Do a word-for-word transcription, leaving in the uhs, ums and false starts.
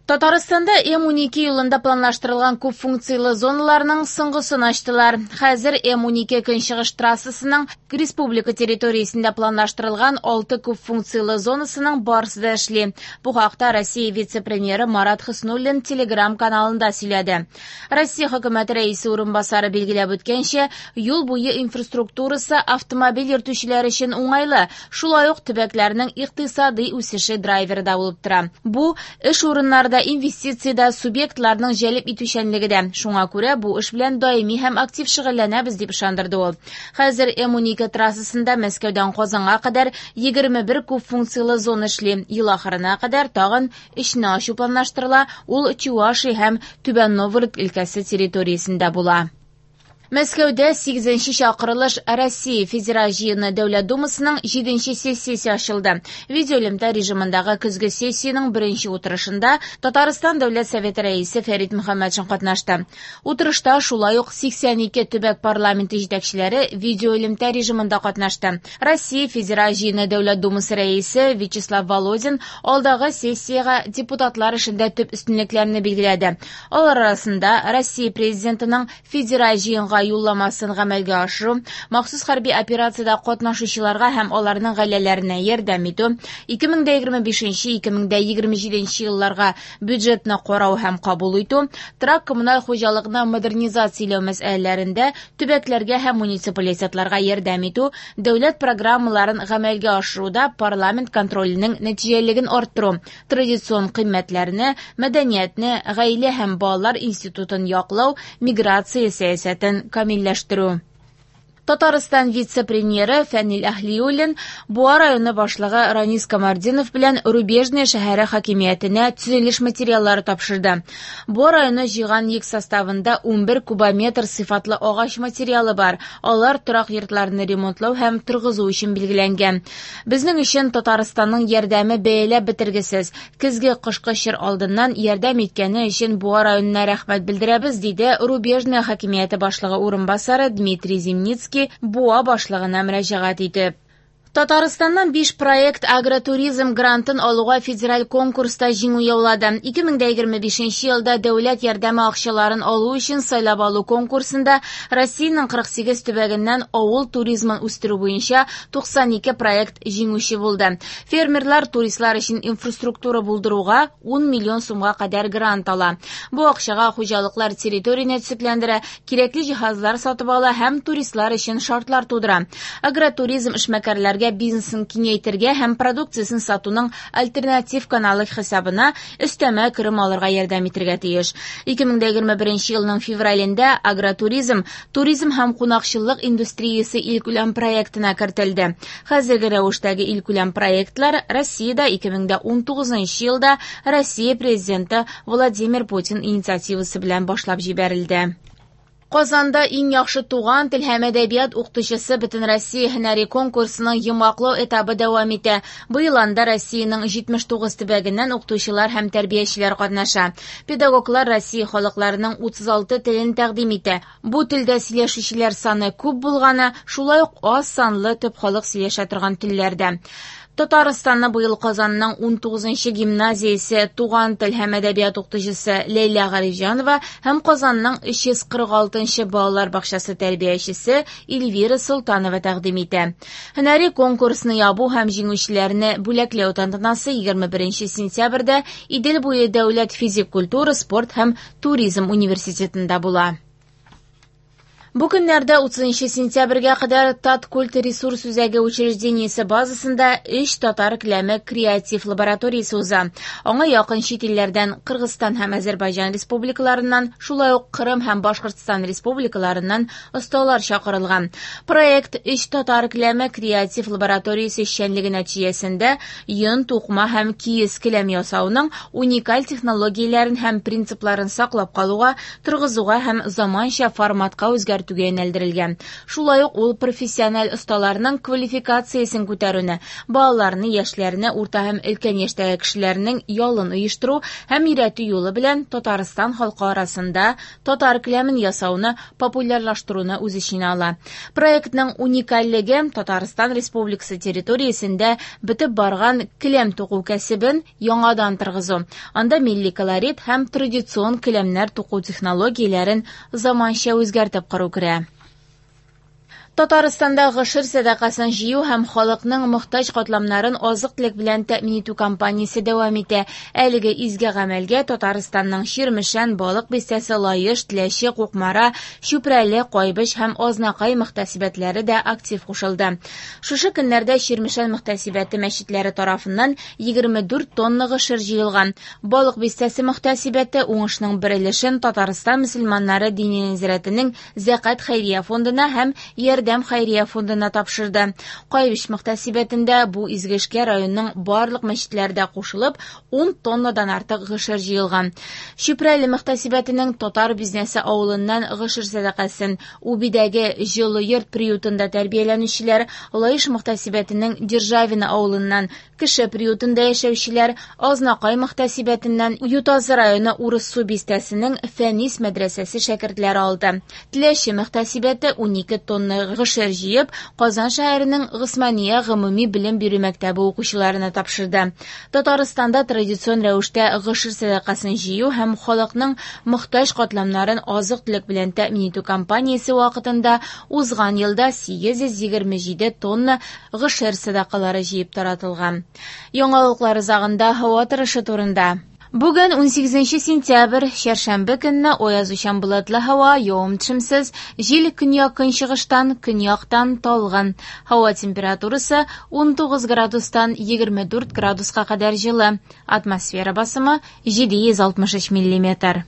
Татарстанда М унике юлында планлаштырылган күп функцияле зоналарның соңгысын ачтылар. Хәзер М унике көнчыгыш трассасының республика территориясендә планлаштырылган алты күп функцияле зонасының барысы да эшли. Бу хакта Россия вице-премьеры Марат Хөснуллин Телеграм-каналында сөйләде. Россия хөкүмәте рәисе урынбасары билгеләп үткәнчә, юл буе инфраструктурасы автомобиль йөртүчеләр өчен уңайлы, шулай ук төбәкләрнең икътисади үсеше драйверы да булып тора. Бу эш урыннары да, инвестициядә субъектларның җәлеп итүчәнлеге дә. Шуңа күрә бу эш белән даими һәм актив шөгыльләнәбез, дип ышандырды ул. Хәзер М унике трассасында Мәскәүдән Казанга кадәр егерме бер күп функцияле зона эшли. Ел ахырына кадәр тагын өчне ачу планлаштырыла. Ул Чувашия һәм Түбән Новгород өлкәсе территориясендә була. Мәскәүдә сигезенче чакырылыш Россия Федераль җыены Дәүләт Думасының җиденче сессиясе ачылды. Видеоэлемтә режимындагы көзге сессиянең беренче утырышында Татарстан Дәүләт Советы рәисе Фәрит Мөхәммәтшин катнашты. Утырышта шулай ук сиксән ике төбәк парламенты җитәкчеләре видеоэлемтә режимында катнашты. Россия Федераль җыены Дәүләт Думасы рәисе Вячеслав Володин алдагы сессиягә депутатлар эшендә төп өстенлекләрне билгеләде. Алар арасында Россия Президентының федераль җыенга юлламасын гамәлгә ашыру, махсус хәрби операциядә катнашучыларга һәм аларның гаиләләренә ярдәм итү, ике мең дә егерме бишенче, ике мең дә егерме җиденче елларга бюджетны карау һәм кабул итү, торак коммуналь хуҗалыкны модернизацияләү мәсьәләләрендә төбәкләргә һәм муниципалитетларга ярдәм итү, дәүләт программаларын гамәлгә ашыруда парламент контроленең нәтиҗәлелеген арттыру, традицион кыйммәтләрне, мәдәниятне, гаилә һәм балалар институтын яклау, миграция сәясәтен камилләштерү. Татарстан вице-премьеры Фәнил Әһлиуллин Буа районы башлыгы Ранис Камардинов белән Рубежное шәһәре хакимиятенә төзелеш материаллары тапшырды. Буа районы җыйган йөк составында унбер кубометр сыйфатлы агач материалы бар. Алар торак йортларны ремонтлау һәм торгызу өчен билгеләнгән. Безнең өчен Татарстанның ярдәме бәяләп бетергесез. Көзге кышкы чор алдыннан ярдәм иткәне өчен Буа районына рәхмәт белдерәбез, диде Рубежное хакимияте башлыгы урынбасары Дмитрий Зимницкий Буа башлыгына мөрәҗәгать итеп. Татарстаннан биш проект агротуризм грантын алуга федераль конкурста җиңү яулады. Ике мең дә егерме бишенче елда дәүләт ярдәме акчаларын алу өчен сайлап алу конкурсында Россиянең кырык сигез төбәгеннән авыл туризмын үстерү буенча туксан ике проект җиңүче булды. Фермерлар туристлар өчен инфраструктура булдыруга ун миллион сумга кадәр грант ала. Бу акчага хуҗалыклар территорияне төзекләндерә, кирәкле җиһазлар сатып ала һәм туристлар өчен шартлар тудыра. Агротуризм эшмәкәрләргә бизнесын киңәйтергә һәм продукциясын сатуның альтернатив каналы хисабына өстәмә керем алырга ярдәм итәргә тиеш. Ике мең дә егерме беренче елның февралендә агротуризм, туризм һәм кунакчыллык индустриясе илкүләм проектына кертелде. Хәзерге рәвештәге илкүләм проектлар Россиядә ике мең дә унтугызынчы елда Россия президенты Владимир Путин инициативасы белән башлап җибәрелде. Казанда иң яхшы туган тел һәм әдәбият укытучысы Бөтенроссия һөнәри конкурсының йомгаклау этабы дәвам итә. Быел анда Россиянең җитмеш тугыз төбәгеннән укытучылар һәм тәрбиячеләр катнаша. Педагоглар Россия халыкларының утыз алты телен тәкъдим итә. Бу телдә сөйләшүчеләр саны күп булганы, шулай ук аз санлы төп халык сөйләшә торган телләрдә. Татарстанны быел Казанның унтугызынчы гимназиясе туган тел һәм әдәбият укытучысы Ләйлә Гарифҗанова һәм Казанның өч йөз кырык алтынчы балалар бакчасы тәрбиячесе Эльвира Солтанова тәкъдим итә. Һөнәри конкурсны ябу һәм җиңүчеләрне бүләкләү тантанасы егерме беренче сентябрьдә Идел буе дәүләт физик культура, спорт һәм туризм университетында була. Бу көннәрдә утызынчы сентябрьгә кадәр Таткульт ресурс үзәге учреждениесе базасында өч татар келәме креатив лабораториясе уза. Аңа якын чит илләрдән Кыргызстан һәм Азербайҗан республикаларыннан, шулай ук Кырым һәм Башкортстан республикаларыннан осталар чакырылган. Проект өч татар келәме креатив лабораториясе эшчәнлеге нәтиҗәсендә йон, тукма һәм киез келәм ясауның уникаль технологияләрен һәм принципларын саклап калуга, торгызуга һәм заманча форматка үзгәртүгә кертүгә юнәлдерелгән. Шулай ук ул профессиональ осталарның квалификациясен күтәрүне, балаларны, яшьләрне, урта һәм өлкән яшьтәге кешеләрнең ялын оештыру һәм өйрәтү юлы белән Татарстан халкы арасында татар келәмен ясауны популярлаштыруны үз эченә ала. Проектның уникальлеге Татарстан Республикасы территориясендә бетеп барган келәм туку кәсебен яңадан торгызу. Анда милли колорит һәм традицион келәмнәр туку технологияләрен заманча үзгәртеп кору керә. Татарстанда гошер сәдакасын җыю һәм халыкның мохтаҗ катламнарын азык-төлек белән тәэмин итү кампаниясе дәвам итә. Әлеге изге гамәлгә Татарстанның Чирмешән, Балык Бистәсе, Лаеш, Теләче, Кукмара, Чүпрәле, Кайбыч һәм Азнакай мөхтәсибәтләре дә актив кушылды. Шушы көннәрдә Чирмешән мөхтәсибәте мәчетләре тарафыннан егерме дүрт тонна гошер җыелган. Балык Бистәсе мөхтәсибәте уңышның бер өлешен Татарстан мөселманнары дини нәзарәтенең Зәкат хәйрия фондына һәм Ярдәм хәйрия фондына тапшырды. Кайбыч мөхтәсибәтендә бу изге эшкә районның барлык мәчетләрдә кушылып, ун тоннадан артык гошер җыелган. Чүпрәле мөхтәсибәтенең Татар Бизнесе авылыннан гошер сәдакасын Убидәге Җылы йорт приютында тәрбияләнүчеләр, Лаеш мөхтәсибәтенең Державина авылыннан Кеше приютында яшәүчеләр, Азнакай мөхтәсибәтеннән Ютазы районы Урыссу бистәсенең Фәнис мәдрәсәсе шәкертләре алды. Теләче мөхтәсибәте унике тонна гошер җыеп, Казан шәһәренең Госмания гомуми белем бирү мәктәбе укучыларына тапшырды. Татарстанда традицион рәвештә гошер сәдакасын җыю һәм халыкның мохтаҗ катламнарын азык-төлек белән тәэмин итү кампаниясе вакытында узган елда сигез йөз егерме җиде тонна гошер сәдакалары җыеп таратылган. Яңалыклар азагында һава торышы турында. Бүген унсигезенче сентябрь, чәршәмбе көнне аязучан болытлы һава, явым-төшемсез, җил көньяк-көнчыгыштан, көньяктан талгын. Һава температурасы унтугыз градустан егерме дүрт градуска кадәр җылы. Атмосфера басымы җиде йөз алтмыш өч миллиметр.